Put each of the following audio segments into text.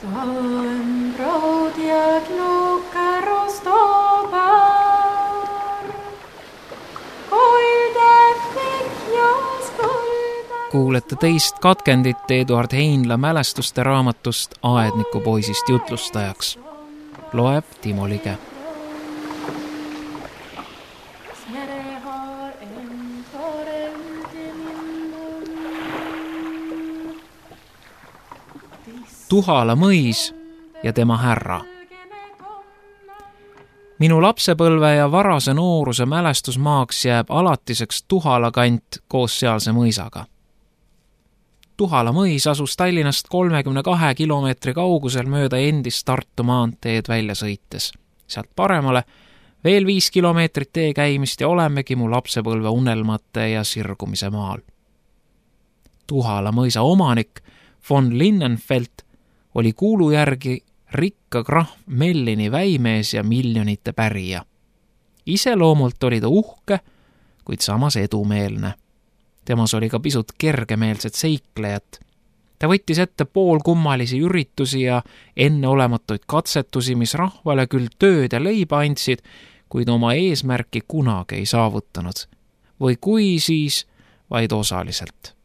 Stałem brod jak luka roztobar, hoida fikja skulda. Kuulete teist katkendit Eduard Heinla mälestuste raamatust Aednikupoisist jutlustajaks. Loeb Timo Lige. Tuhala mõis ja tema härra. Minu lapsepõlve ja varase nooruse mälestusmaaks jääb alatiseks Tuhala kant koos sealse mõisaga. Tuhala mõis asus Tallinnast 32 kilomeetri kaugusel mööda endist Tartu maanteed välja sõites. Sealt paremale veel 5 kilomeetrit tee käimist ja olemegi mu lapsepõlve unelmate ja sirgumise maal. Tuhala mõisa omanik von Linnenfeld oli kuulu järgi rikka krahv Mellini väimees ja miljonite pärija. Iseloomult oli ta uhke, kuid samas edumeelne. Temas oli ka pisut kergemeelset seiklejat. Ta võttis ette poolkummalisi üritusi ja enneolematuid katsetusi, mis rahvale küll tööd ja leiba andsid, kuid oma eesmärki kunagi ei saavutanud. Või kui siis, vaid osaliselt.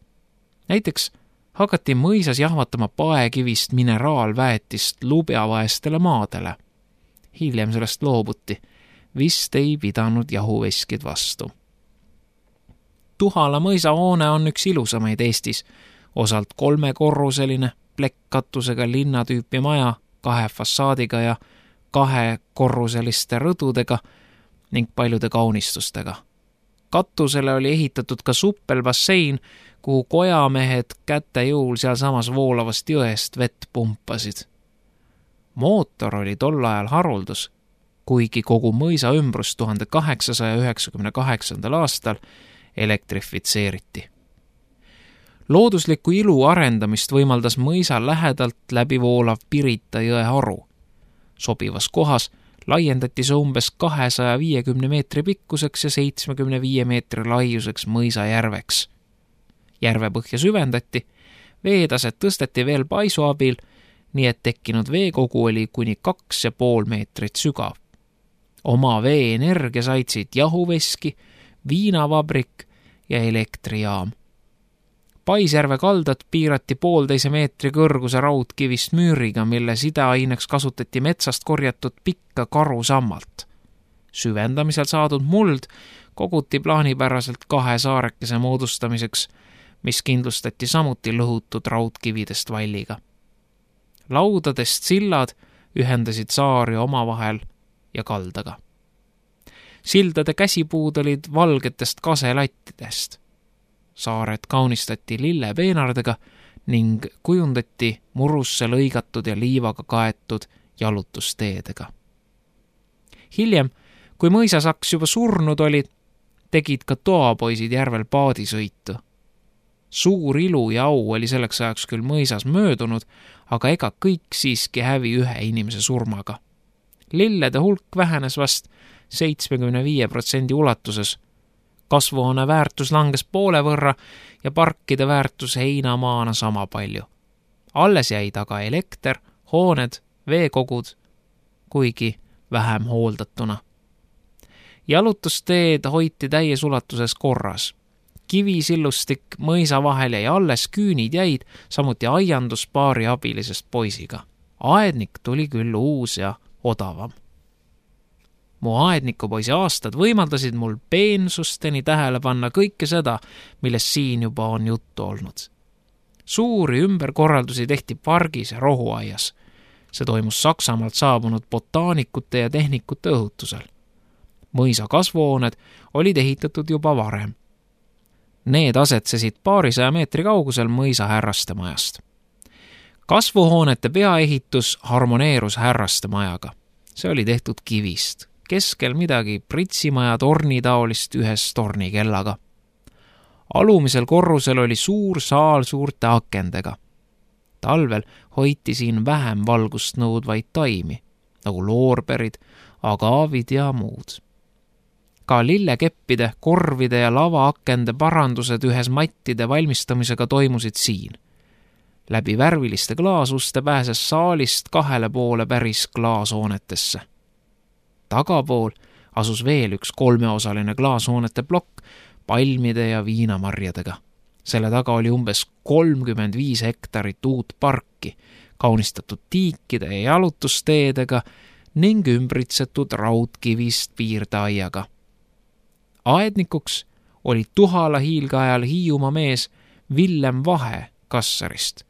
Näiteks hakati mõisas jahvatama paekivist mineraalväetist lubjavaestele maadele. Hiljem sellest loobuti. Vist ei pidanud jahuveskid vastu. Tuhala mõisa hoone on üks ilusamaid Eestis. Osalt 3-korruseline, plekkkatusega linnatüüpi maja 2 fassaadiga ja 2-korruseliste rõdudega ning paljude kaunistustega. Katusele oli ehitatud ka suppelbassein, kuhu kojamehed käte jõul sealsamas voolavast jõest vett pumpasid. Mootor oli tol ajal haruldus, kuigi kogu mõisa ümbrus 1898. aastal elektrifitseeriti. Loodusliku ilu arendamist võimaldas mõisa lähedalt läbi voolav Pirita jõe haru. Sobivas kohas laiendati see umbes 250 meetri pikkuseks ja 75 meetri laiuseks mõisajärveks. Järvepõhja süvendati, veetaset tõsteti veel paisu abil, nii et tekkinud veekogu oli kuni 2,5 meetrit sügav. Oma veeenergia saitsid jahuveski, viinavabrik ja elektrijaam. Paisjärve kaldat piirati 1,5 meetri kõrguse raudkivist müüriga, mille sideaineks kasutati metsast korjatud pikka karusammalt. Süvendamisel saadud muld koguti plaanipäraselt 2 saarekese moodustamiseks, mis kindlustati samuti lõhutud raudkividest valliga. Laudadest sillad ühendasid saari omavahel ja kaldaga. Sildade käsipuud olid valgetest kaselattidest. Saared kaunistati lillepeenardega ning kujundati murusse lõigatud ja liivaga kaetud jalutusteedega. Hiljem, kui mõisasaks juba surnud olid, tegid ka toapoisid järvel paadisõitu. Suur ilu ja au oli selleks ajaks küll mõisas möödunud, aga ega kõik siiski hävi ühe inimese surmaga. Lillede hulk vähenes vast 75% ulatuses. Kasvuhoone väärtus langes poole võrra ja parkide väärtus heinamaana sama palju. Alles jäid aga elekter, hooned, veekogud, kuigi vähem hooldatuna. Jalutusteed hoiti täies ulatuses korras. Kivisillustik mõisa vahel jäi alles, küünid jäid, samuti aiandus paari abilisest poisiga. Aednik tuli küll uus ja odavam. Mu aednikupoisi aastad võimaldasid mul peensusteni tähele panna kõike seda, millest siin juba on juttu olnud. Suuri ümberkorraldusi tehti pargis ja rohuaias. See toimus Saksamaalt saabunud botaanikute ja tehnikute õhutusel. Mõisa kasvuhooned olid ehitatud juba varem. Need asetsesid 200 meetri kaugusel mõisa härraste majast. Kasvuhoonete peaehitus harmoneerus härraste majaga. See oli tehtud kivist. Keskel midagi pritsimaja tornitaolist ühes tornikellaga. Alumisel korrusel oli suur saal suurte akendega. Talvel hoiti siin vähem valgust nõudvaid taimi, nagu loorberid, agaavid ja muud. Ka lillekeppide, korvide ja lavaakende parandused ühes mattide valmistamisega toimusid siin. Läbi värviliste klaasuste pääses saalist 2 poole päris klaashoonetesse. Tagapool asus veel üks 3-osaline klaashoonete plokk palmide ja viinamarjadega. Selle taga oli umbes 35 hektarit uut parki, kaunistatud tiikide ja jalutusteedega ning ümbritsetud raudkivist piirdeaiaga. Aednikuks oli Tuhala hiilgeajal Hiiumaa mees Villem Vahe Kassarist.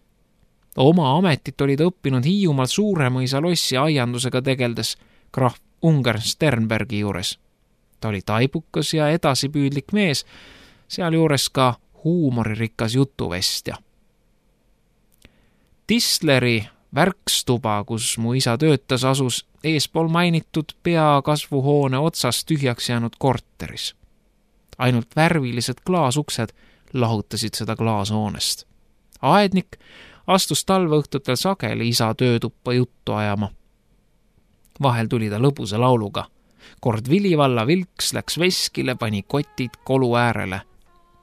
Oma ametit olid õppinud Hiiumaal Suuremõisa lossi aiandusega tegeldes krahv Ungern Sternbergi juures. Ta oli taibukas ja edasipüüdlik mees, sealjuures ka huumoririkas jutuvestja. Tisleri värkstuba, kus mu isa töötas, asus eespool mainitud peakasvuhoone otsas tühjaks jäänud korteris. Ainult värvilised klaasuksed lahutasid seda klaashoonest. Aednik astus talveõhtutel sageli isa töötuppa juttu ajama. Vahel tuli ta lõbusa lauluga. Kord Vilivalla Vilks läks veskile, pani kotid kolu äärele.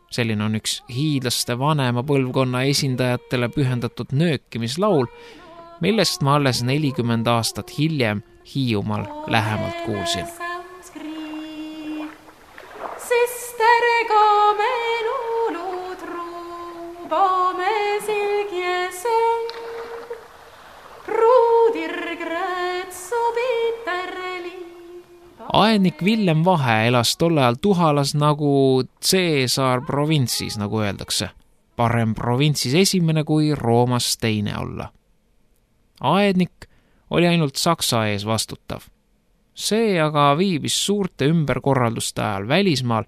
Selline on üks hiidlaste vanema põlvkonna esindajatele pühendatud nöökimislaul, millest ma alles 40 aastat hiljem Hiiumaal lähemalt kuulsin. Aednik Villem Vahe elas tolle ajal Tuhalas nagu Caesar provintsis, nagu öeldakse. Parem provintsis esimene kui Roomas teine olla. Aednik oli ainult Saksa ees vastutav. See aga viibis suurte ümberkorralduste ajal välismaal.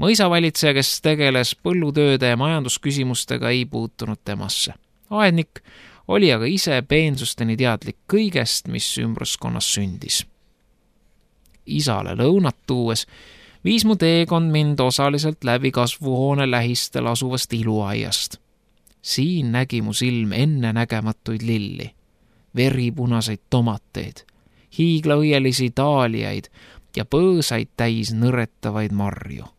Mõisavalitseja, kes tegeles põllutööde ja majandusküsimustega, ei puutunud temasse. Aednik oli aga ise peensusteni teadlik kõigest, mis ümbruskonnas sündis. Isale lõunat tuues viis mu teekond mind osaliselt läbi kasvuhoone lähistel asuvast iluaiast. Siin nägi mu silm ennenägematuid lilli, veripunaseid tomateid, hiiglaõielisi daaliaid ja põõsaid täis nõretavaid marju.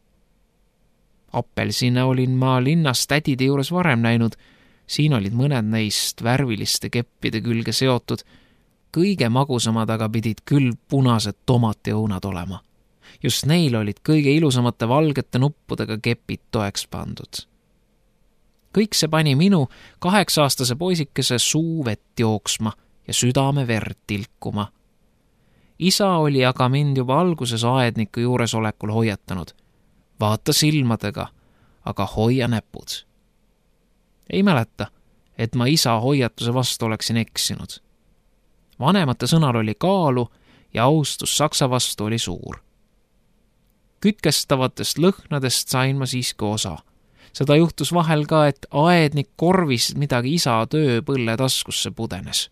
Appelsine olin ma linnas tädide juures varem näinud, siin olid mõned neist värviliste keppide külge seotud. Kõige magusamad aga pidid küll punased tomatiõunad olema. Just neil olid kõige ilusamate valgete nuppudega kepid toeks pandud. Kõik see pani minu 8-aastase poisikese suu vett jooksma ja südame verd tilkuma. Isa oli aga mind juba alguses aedniku juuresolekul hoiatanud. Vaata silmadega, aga hoia näpud. Ei mäleta, et ma isa hoiatuse vastu oleksin eksinud. Vanemate sõnal oli kaalu ja austus Saksa vastu oli suur. Kütkestavatest lõhnadest sain ma siiski osa. Seda juhtus vahel ka, et aednik korvis midagi isa tööpõlle taskusse pudenes.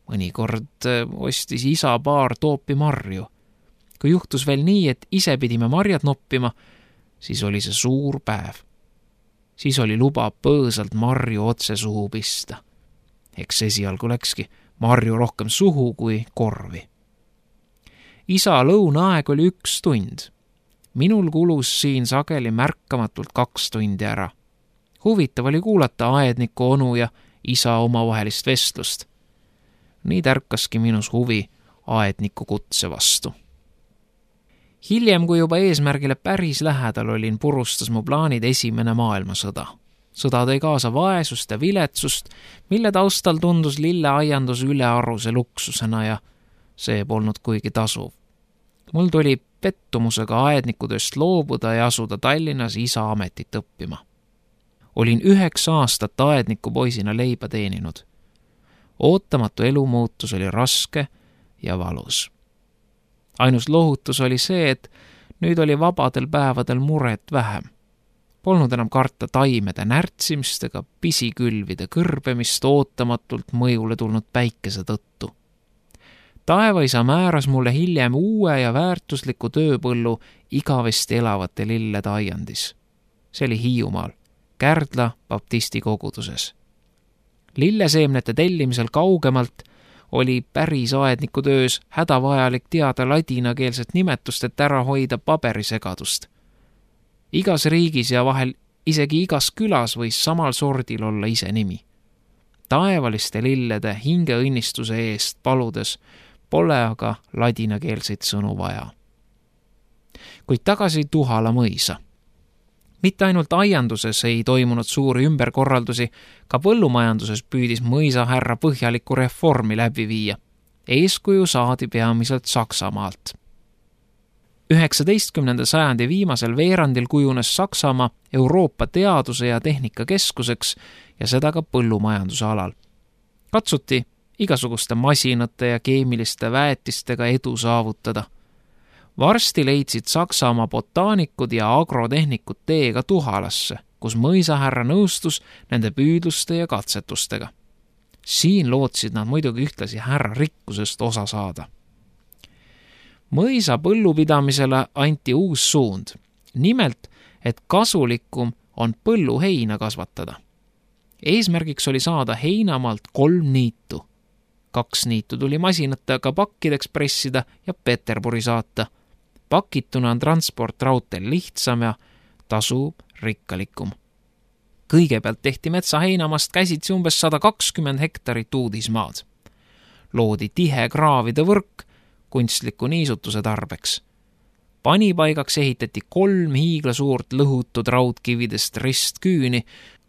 Mõnikord ostis isa paar toopi marju. Kui juhtus veel nii, et ise pidime marjad noppima, siis oli see suur päev. Siis oli luba põõsalt marju otse suhu pista. Eks esialgu läkski marju rohkem suhu kui korvi. Isa lõunaaeg oli 1 tund. Minul kulus siin sageli märkamatult 2 tundi ära. Huvitav oli kuulata aedniku onu ja isa omavahelist vestlust. Nii tärkaski minus huvi aedniku kutse vastu. Hiljem, kui juba eesmärgile päris lähedal olin, purustas mu plaanid esimene maailmasõda. Sõda tõi kaasa vaesust ja viletsust, mille taustal tundus lilleaiandus ülearuse luksusena ja see polnud kuigi tasuv. Mul tuli pettumusega aednikutööst loobuda ja asuda Tallinnas isa ametit õppima. Olin 9 aastat aedniku poisina leiba teeninud. Ootamatu elumuutus oli raske ja valus. Ainus lohutus oli see, et nüüd oli vabadel päevadel muret vähem. Polnud enam karta taimede närtsimist ega pisikülvide kõrbemist ootamatult mõjule tulnud päikese tõttu. Taevaisa määras mulle hiljem uue ja väärtusliku tööpõllu igavesti elavate lillede aiandis. See oli Hiiumaal, Kärdla baptisti koguduses. Lilleseemnete tellimisel kaugemalt oli päris aedniku töös hädavajalik teada ladinakeelset nimetust, et ära hoida paberisegadust. Igas riigis ja vahel isegi igas külas võis samal sordil olla ise nimi. taevaliste lillede hingeõnnistuse eest paludes pole aga ladinakeelseid sõnu vaja. Kuid tagasi Tuhala mõisa. Mitte ainult aianduses ei toimunud suuri ümberkorraldusi, ka põllumajanduses püüdis mõisahärra põhjalikku reformi läbi viia. Eeskuju saadi peamiselt Saksamaalt. 19. sajandi viimasel veerandil kujunes Saksamaa Euroopa teaduse ja tehnika keskuseks ja seda ka põllumajanduse alal. Katsuti igasuguste masinate ja keemiliste väetistega edu saavutada. Varsti leidsid Saksamaa botaanikud ja agrotehnikud teega Tuhalasse, kus mõisahärra nõustus nende püüdluste ja katsetustega. Siin lootsid nad muidugi ühtlasi härra rikkusest osa saada. Mõisa põllupidamisele anti uus suund, nimelt, et kasulikum on põlluheina kasvatada. Eesmärgiks oli saada heinamaalt 3 niitu. 2 niitu tuli masinatega pakkideks pressida ja Peterburi saata. Pakituna on transport raudteel lihtsam ja tasu rikkalikum. Kõigepealt tehti metsa heinamast käsitsi umbes 120 hektarit uudismaad. Loodi tihe kraavide võrk kunstliku niisutuse tarbeks. Panipaigaks ehitati 3 hiiglasuurt lõhutud raudkividest ristküüni,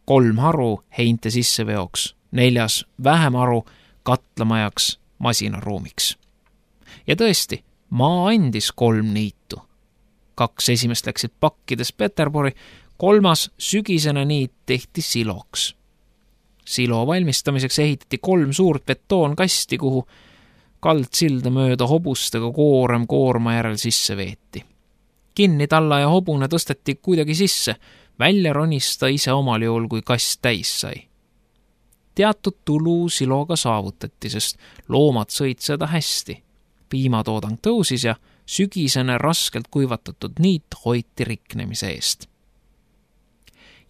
3 haru heinte sisseveoks, 4 vähem haru katlamajaks masinaruumiks. Ja tõesti, maa andis 3 niitu. 2 esimest läksid pakkides Peterburi, 3. sügisene niit tehti siloks. Silo valmistamiseks ehitati 3 suurt betoonkasti, kuhu kaldsilda mööda hobustega koorem koorma järel sisse veeti. Kinni talla ja hobune tõsteti kuidagi sisse, välja ronista ise omal juhul, kui kast täis sai. Teatud tulu siloga saavutati, sest loomad sõid seda hästi. Piimatoodang tõusis ja sügisene raskelt kuivatatud niit hoiti riknemise eest.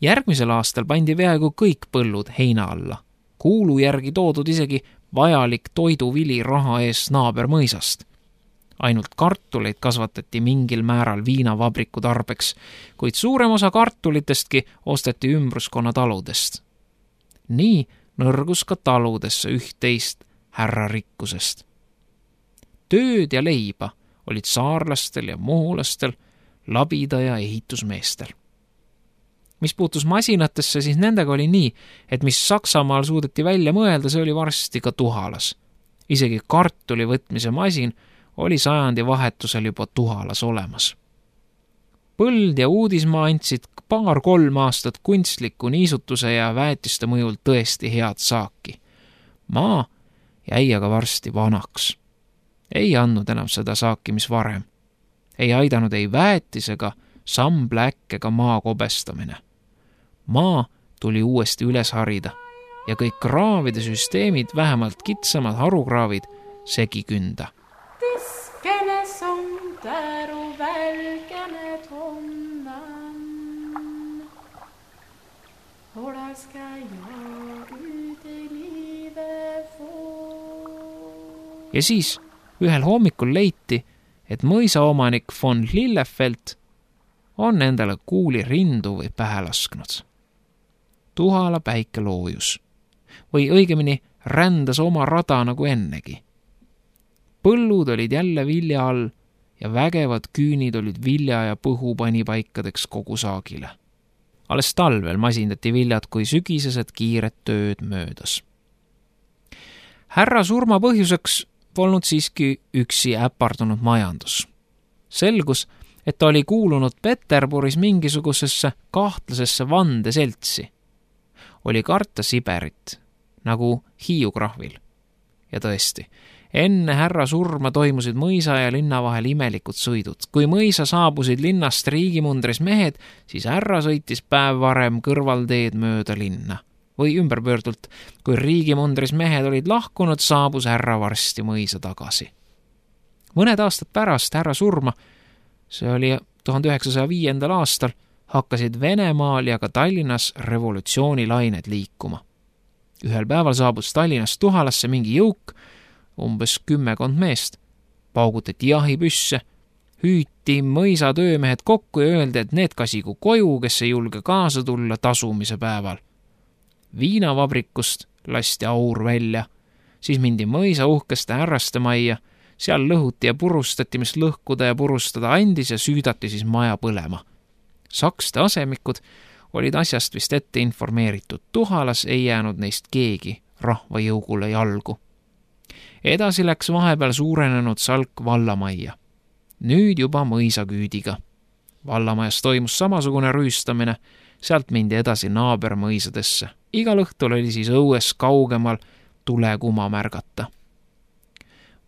Järgmisel aastal pandi peaaegu kõik põllud heina alla. Kuulu järgi toodud isegi vajalik toiduvili raha eest naabermõisast. Ainult kartuleid kasvatati mingil määral viinavabriku tarbeks, kuid suurem osa kartulitestki osteti ümbruskonna taludest. Nii nõrgus ka taludesse üht-teist härra rikkusest. Tööd ja leiba olid saarlastel ja muhulastel, labida ja ehitusmeestel. Mis puutus masinatesse, siis nendega oli nii, et mis Saksamaal suudeti välja mõelda, see oli varsti ka Tuhalas. Isegi kartuli võtmise masin oli sajandi vahetusel juba Tuhalas olemas. Põld ja uudismaa andsid 2-3 aastat kunstliku niisutuse ja väetiste mõjul tõesti head saaki. Maa jäi aga varsti vanaks. Ei andnud enam seda saaki, mis varem. Ei aidanud ei väetis ega sambläkk ega maa kobestamine. Maa tuli uuesti üles harida ja kõik kraavide süsteemid, vähemalt kitsamad harukraavid, segi künda. Tiskene som där och välkane tonnan. Hålla ska jag ut i livet få. Ja siis ühel hommikul leiti, et mõisaomanik von Lillefeld on endale kuuli rindu või pähe lasknud. Tuhala päike loojus. Või õigemini rändas oma rada nagu ennegi. Põllud olid jälle vilja all ja vägevad küünid olid vilja ja põhu panipaikadeks kogu saagile. Alles talvel masindati viljad, kui sügisesed kiired tööd möödas. Härra surma põhjuseks polnud siiski üksi äpardunud majandus. Selgus, et ta oli kuulunud Peterburis mingisugusesse kahtlasesse vandeseltsi. Oli karta Siberit, nagu Hiiukrahvil. Ja tõesti, enne härra surma toimusid mõisa ja linna vahel imelikud sõidud. Kui mõisa saabusid linnast riigimundris mehed, siis härra sõitis päev varem kõrvalteed mööda linna. Või ümberpöördult, kui riigimundris mehed olid lahkunud, saabus härra varsti mõisa tagasi. Mõned aastad pärast härra surma, see oli 1905. aastal, hakkasid Venemaal ja ka Tallinnas revolutsioonilained liikuma. Ühel päeval saabus Tallinnast Tuhalasse mingi jõuk, umbes 10 meest. Paugutati jahipüsse, hüüti mõisa töömehed kokku ja öeldi, et need kasigu koju, kes ei julge kaasa tulla tasumise päeval. Viinavabrikust lasti aur välja. Siis mindi mõisa uhkeste härraste majja, seal lõhuti ja purustati, mis lõhkuda ja purustada andis ja süüdati siis maja põlema. Sakste asemikud olid asjast vist ette informeeritud. Tuhalas ei jäänud neist keegi rahvajõugule jalgu. Edasi läks vahepeal suurenenud salk vallamajja. Nüüd juba mõisaküüdiga. Vallamajas toimus samasugune rüüstamine, sealt mindi edasi naabermõisadesse. Igal õhtul oli siis õues kaugemal tulekuma märgata.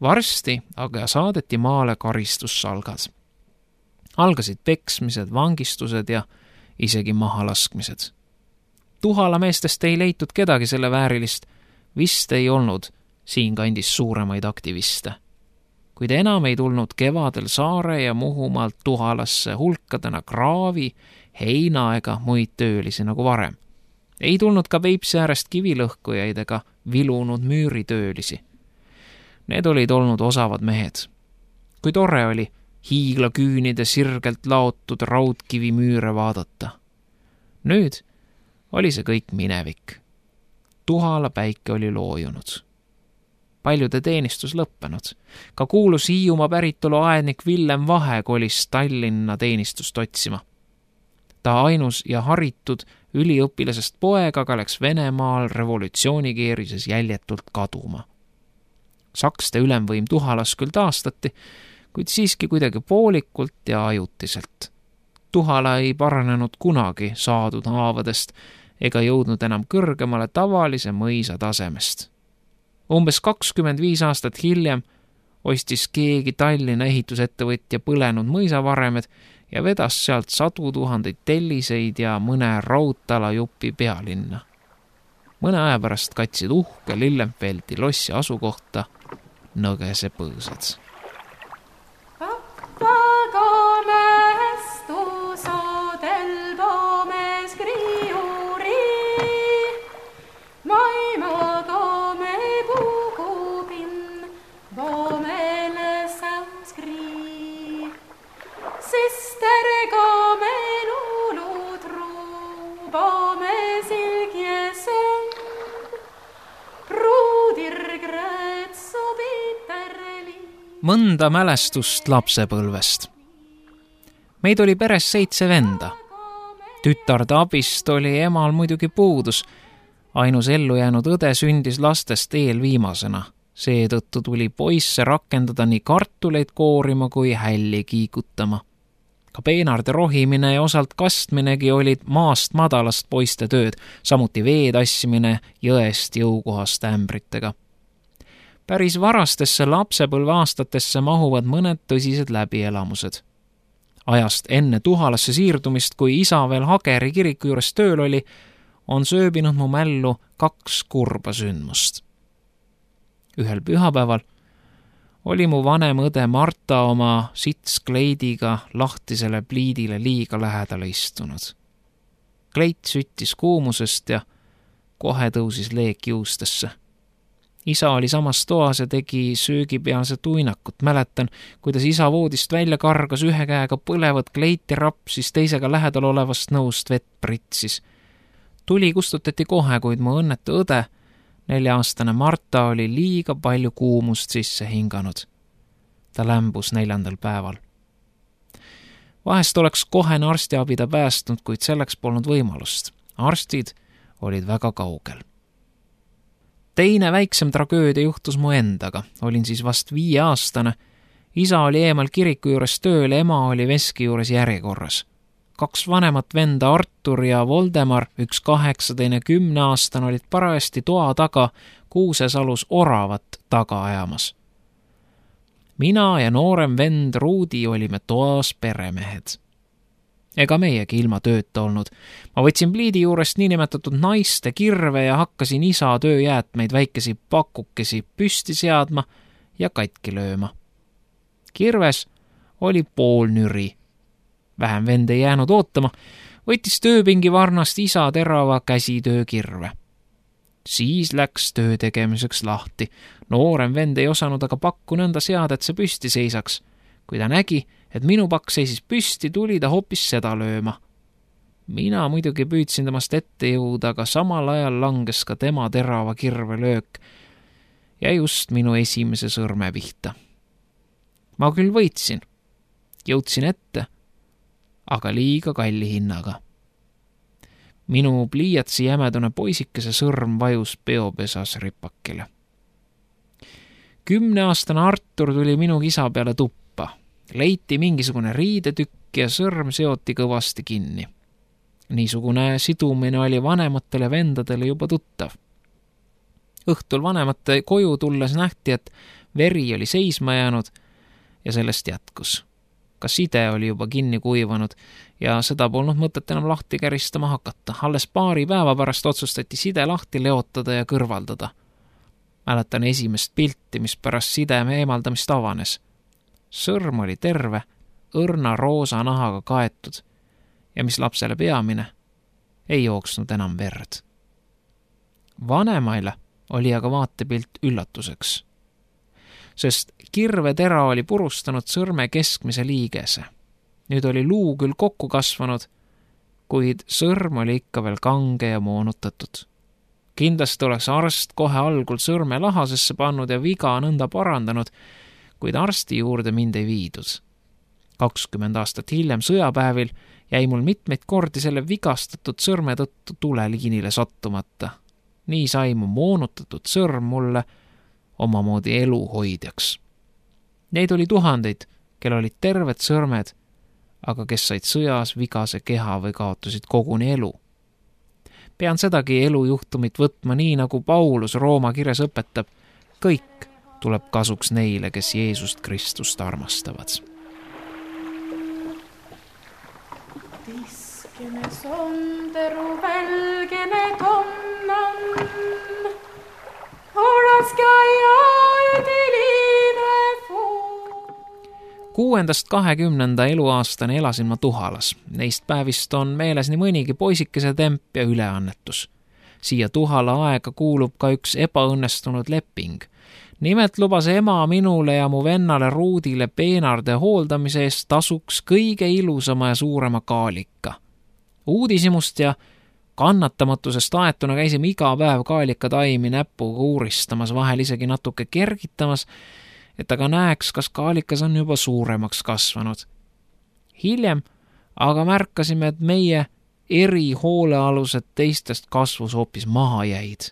Varsti aga saadeti maale karistussalgad. Algasid peksmised, vangistused ja isegi mahalaskmised. Tuhala meestest ei leitud kedagi selle väärilist, vist ei olnud siinkandis suuremaid aktiviste. Kuid enam ei tulnud kevadel Saare ja Muhumaalt Tuhalasse hulkadena kraavi, heina ega muid töölisi nagu varem. Ei tulnud ka Peipsi äärest kivilõhkujaid ega vilunud müüritöölisi. Need olid olnud osavad mehed. Kui tore oli hiiglaküünide sirgelt laotud raudkivimüüre vaadata. Nüüd oli see kõik minevik. Tuhala päike oli loojunud. Paljude teenistus lõppenud. Ka kuulus Hiiumaa päritolu aednik Villem Vahe kolis Tallinna teenistust otsima. Ta ainus ja haritud üliõpilasest poeg aga läks Venemaal revolutsioonikeerises jäljetult kaduma. Sakste ülemvõim Tuhalas küll taastati, kuid siiski kuidagi poolikult ja ajutiselt. Tuhala ei paranenud kunagi saadud haavadest ega jõudnud enam kõrgemale tavalise mõisa tasemest. Umbes 25 aastat hiljem ostis keegi Tallinna ehitusettevõtja põlenud mõisavaremed ja vedas sealt 100 000 telliseid ja mõne raudtalajupi pealinna. Mõne aja pärast katsid uhke Lillenfeldi lossi asukohta Nõgese põõsad. Mõnda mälestust lapsepõlvest. Meid oli peres 7 venda. Tütarde abist oli emal muidugi puudus. Ainus ellu jäänud õde sündis lastest eelviimasena. Seetõttu tuli poisse rakendada nii kartuleid koorima kui hälli kiikutama. Ka peenarde rohimine ja osalt kastminegi olid maast madalast poiste tööd, samuti vee tassimine jõest jõukohast ämbritega. Päris varastesse lapsepõlve aastatesse mahuvad mõned tõsised läbielamused. Ajast enne Tuhalasse siirdumist, kui isa veel Hageri kiriku juures tööl oli, on sööbinud mu mällu 2 kurba sündmust. Ühel pühapäeval oli mu vanem õde Marta oma sitskleidiga lahtisele pliidile liiga lähedale istunud. Kleit süttis kuumusest ja kohe tõusis leek juustesse. Isa oli samas toas ja tegi söögipealset uinakut. Mäletan, kuidas isa voodist välja kargas, ühe käega põlevat kleiti rapsis, teisega lähedal olevast nõust vett pritsis. Tuli kustutati kohe, kuid mu õnnetu õde, 4-aastane Marta, oli liiga palju kuumust sisse hinganud. Ta lämbus 4. päeval. Vahest oleks kohene arstiabi ta päästnud, kuid selleks polnud võimalust. Arstid olid väga kaugel. Teine väiksem tragöödia juhtus mu endaga. Olin siis vast 5-aastane. Isa oli eemal kiriku juures tööl, ema oli veski juures järjekorras. 2 vanemat venda Artur ja Voldemar, üks 8, teine 10-aastane, olid parajasti toa taga Kuusesalus oravat taga ajamas. Mina ja noorem vend Ruudi olime toas peremehed. Ega meiegi ilma tööta olnud. Ma võtsin pliidi juurest niinimetatud naiste kirve ja hakkasin isa tööjäätmeid väikesi pakukesi püsti seadma ja katki lööma. Kirves oli pool nüri. Vähem vend ei jäänud ootama, võttis tööpingi varnast isa terava käsitöökirve. Siis läks töö tegemiseks lahti. Noorem vend ei osanud aga pakku nõnda seada, et see püsti seisaks. Kui ta nägi, et minu pakk seisis püsti, tuli ta hoopis seda lööma. Mina muidugi püüdsin temast ette jõuda, aga samal ajal langes ka tema terava kirvelöök ja just minu esimese sõrme pihta. Ma küll võitsin, jõudsin ette, aga liiga kalli hinnaga. Minu pliiatsi jämedune poisikese sõrm vajus peopesas ripakile. 10-aastane Artur tuli minu kisa peale tuppa. Leiti mingisugune riidetükk ja sõrm seoti kõvasti kinni. Niisugune sidumine oli vanematele vendadele juba tuttav. Õhtul vanemate koju tulles nähti, et veri oli seisma jäänud ja sellest jätkus. Ka side oli juba kinni kuivanud ja seda polnud mõtet enam lahti käristama hakata. Alles paari päeva pärast otsustati side lahti leotada ja kõrvaldada. Mäletan esimest pilti, mis pärast sideme eemaldamist avanes. Sõrm oli terve, õrna roosa nahaga kaetud ja mis lapsele peamine, ei jooksnud enam verd. Vanemaile oli aga vaatepilt üllatuseks, sest kirvetera oli purustanud sõrme keskmise liigese. Nüüd oli luu küll kokku kasvanud, kuid sõrm oli ikka veel kange ja moonutatud. Kindlasti oleks arst kohe algul sõrme lahasesse pannud ja viga nõnda parandanud, kuid arsti juurde mind ei viidud. 20 aastat hiljem sõjapäevil jäi mul mitmeid kordi selle vigastatud sõrme tõttu tuleliinile sattumata. Nii sai mu moonutatud sõrm mulle omamoodi eluhoidjaks. Neid oli tuhandeid, kel olid terved sõrmed, aga kes said sõjas vigase keha või kaotasid koguni elu. Pean sedagi elujuhtumit võtma nii, nagu Paulus Rooma kirjas õpetab. Kõik tuleb kasuks neile, kes Jeesust Kristust armastavad. Tiskene sonderu välgene tonnan, oraska ja üdilive fuu. 6.–20. eluaastani elasin ma Tuhalas. Neist päevist on meeles nii mõnigi poisikese temp ja üleannetus. Siia Tuhala aega kuulub ka üks ebaõnnestunud leping. Nimelt lubas ema minule ja mu vennale Ruudile peenarde hooldamise eest tasuks kõige ilusama ja suurema kaalika. Uudishimust ja kannatamatusest aetuna käisime iga päev kaalika taimi näpuga uuristamas, vahel isegi natuke kergitamas, et aga näeks, kas kaalikas on juba suuremaks kasvanud. Hiljem aga märkasime, et meie erihoolealused teistest kasvus hoopis maha jäid.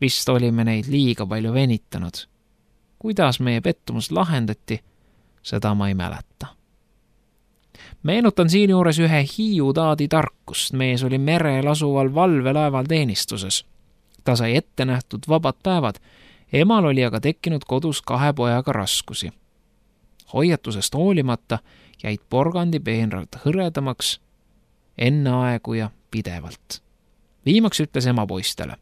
Vist olime neid liiga palju venitanud. Kuidas meie pettumus lahendati, seda ma ei mäleta. Meenutan siinjuures ühe Hiiu taadi tarkust. Mees oli merel asuval valvelaeval teenistuses. Ta sai ette nähtud vabad päevad. Emal oli aga tekkinud kodus 2 pojaga raskusi. Hoiatusest hoolimata jäid porgandipeenrad hõredamaks enneaegu ja pidevalt. Viimaks ütles ema poistele: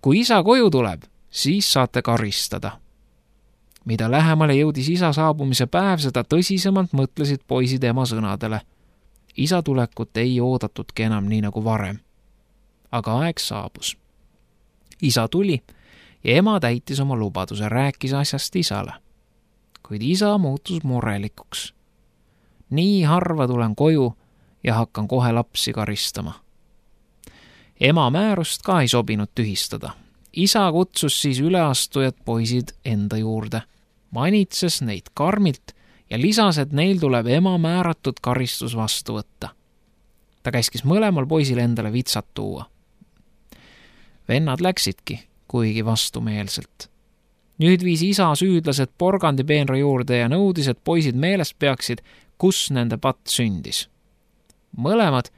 kui isa koju tuleb, siis saate karistada. Mida lähemale jõudis isa saabumise päev, seda tõsisemalt mõtlesid poisid ema sõnadele. Isa tulekut ei oodatudki enam nii nagu varem. Aga aeg saabus. Isa tuli ja ema täitis oma lubaduse, rääkis asjast isale. Kuid isa muutus murelikuks. Nii harva tulen koju ja hakkan kohe lapsi karistama. Ema määrust ka ei sobinud tühistada. Isa kutsus siis üleastujad poisid enda juurde, manitses neid karmilt ja lisas, et neil tuleb ema määratud karistus vastu võtta. Ta käskis mõlemal poisil endale vitsad tuua. Vennad läksidki, kuigi vastumeelselt. Nüüd viis isa süüdlased porgandipeenra juurde ja nõudis, et poisid meeles peaksid, kus nende patt sündis. Mõlemad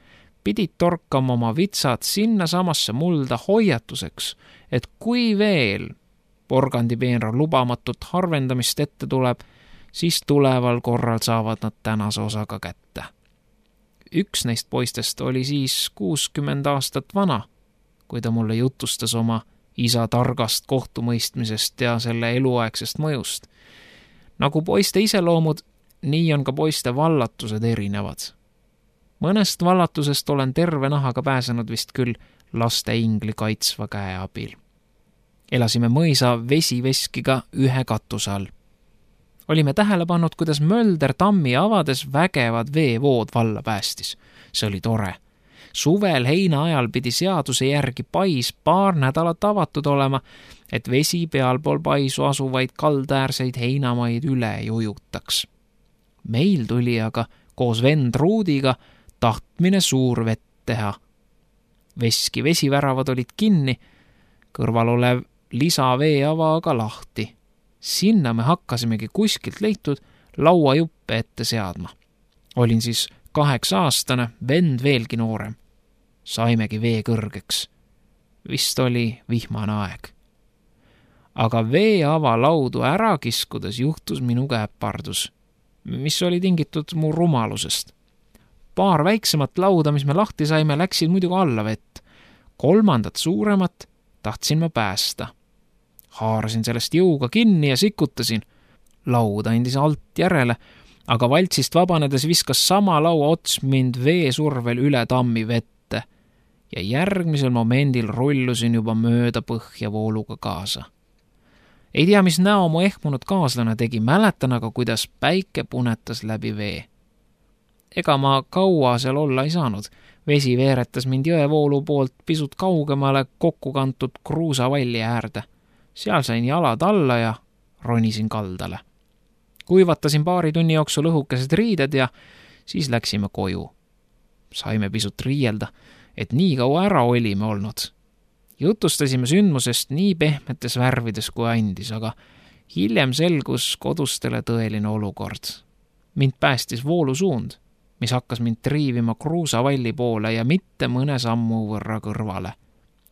pidid torkama oma vitsad sinna samasse mulda hoiatuseks, et kui veel porgandipeenra lubamatut harvendamist ette tuleb, siis tuleval korral saavad nad tänase osaga kätte. Üks neist poistest oli siis 60 aastat vana, kui ta mulle jutustas oma isa targast kohtumõistmisest ja selle eluaegsest mõjust. Nagu poiste iseloomud, nii on ka poiste vallatused erinevad. Mõnest vallatusest olen terve nahaga pääsenud vist küll laste ingli kaitsva käe abil. Elasime mõisa vesiveskiga ühe katuse all. Olime tähele pannud, kuidas Mölder tammi avades vägevad veevood valla päästis. See oli tore. Suvel heina ajal pidi seaduse järgi pais paar nädalat avatud olema, et vesi pealpool paisu asuvaid kaldaäärseid heinamaid üle ei ujutaks. Meil tuli aga koos vend Ruudiga tahtmine suur vett teha. Veski vesiväravad olid kinni, kõrval olev lisaveeava aga lahti. Sinna me hakkasimegi kuskilt leitud lauajuppe ette seadma. Olin siis 8-aastane, vend veelgi noorem. Saimegi vee kõrgeks. Vist oli vihmane aeg. Aga veeava laudu ära kiskudes juhtus minuga äpardus, mis oli tingitud mu rumalusest. Paar väiksemat lauda, mis me lahti saime, läksid muidugi alla vett. 3. suuremat tahtsin ma päästa. Haarasin sellest jõuga kinni ja sikutasin. Laud andis alt järele, aga valtsist vabanedes viskas sama laua ots mind veesurvel üle tammi vette ja järgmisel momendil rullusin juba mööda põhja vooluga kaasa. Ei tea, mis näo mu ehmunud kaaslane tegi, mäletan aga, kuidas päike punetas läbi vee. Ega ma kaua seal olla ei saanud. Vesi veeretas mind jõevoolu poolt pisut kaugemale kokku kantud kruusavalli äärde. Seal sain jalad alla ja ronisin kaldale. Kuivatasin paari tunni jooksul õhukesed riided ja siis läksime koju. Saime pisut riielda, et nii kaua ära olime olnud. Jutustasime sündmusest nii pehmetes värvides kui andis, aga hiljem selgus kodustele tõeline olukord. Mind päästis voolusuund, mis hakkas mind triivima kruusavalli poole ja mitte mõne sammu võrra kõrvale.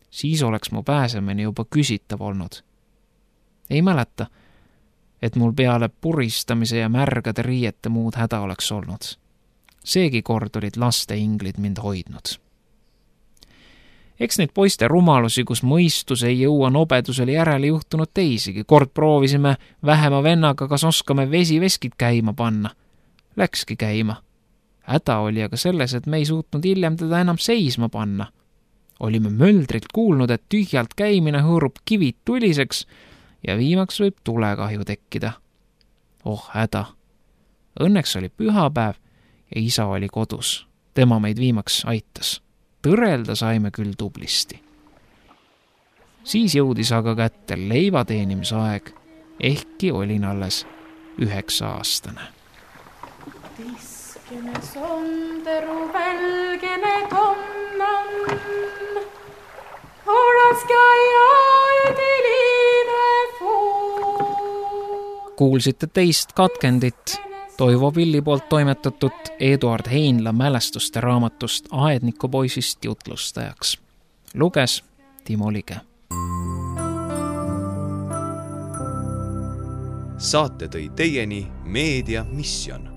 Siis oleks mu pääsemine juba küsitav olnud. Ei mäleta, et mul peale puristamise ja märgade riiete muud häda oleks olnud. Seegi kord olid laste inglid mind hoidnud. Eks neid poiste rumalusi, kus mõistus ei jõua nobedusele järele juhtunud teisigi. Kord proovisime vähema vennaga, kas oskame vesiveskid käima panna. Läkski käima. Häda oli aga selles, et me ei suutnud hiljem teda enam seisma panna. Olime möldrilt kuulnud, et tühjalt käimine hõõrub kivid tuliseks ja viimaks võib tulekahju tekkida. Oh häda! Õnneks oli pühapäev ja isa oli kodus. Tema meid viimaks aitas. Tõrelda saime küll tublisti. Siis jõudis aga kätte leiva teenimise aeg, ehkki olin alles 9-aastane. Tiskene sonderu välgene tonnan, oraska ja üdiline fuu. Kuulsite teist katkendit Toivo Pilli poolt toimetatud Eduard Heinla mälestuste raamatust Aednikupoisist jutlustajaks. Luges Timo Lige. Saate tõi teieni Meedia Mission.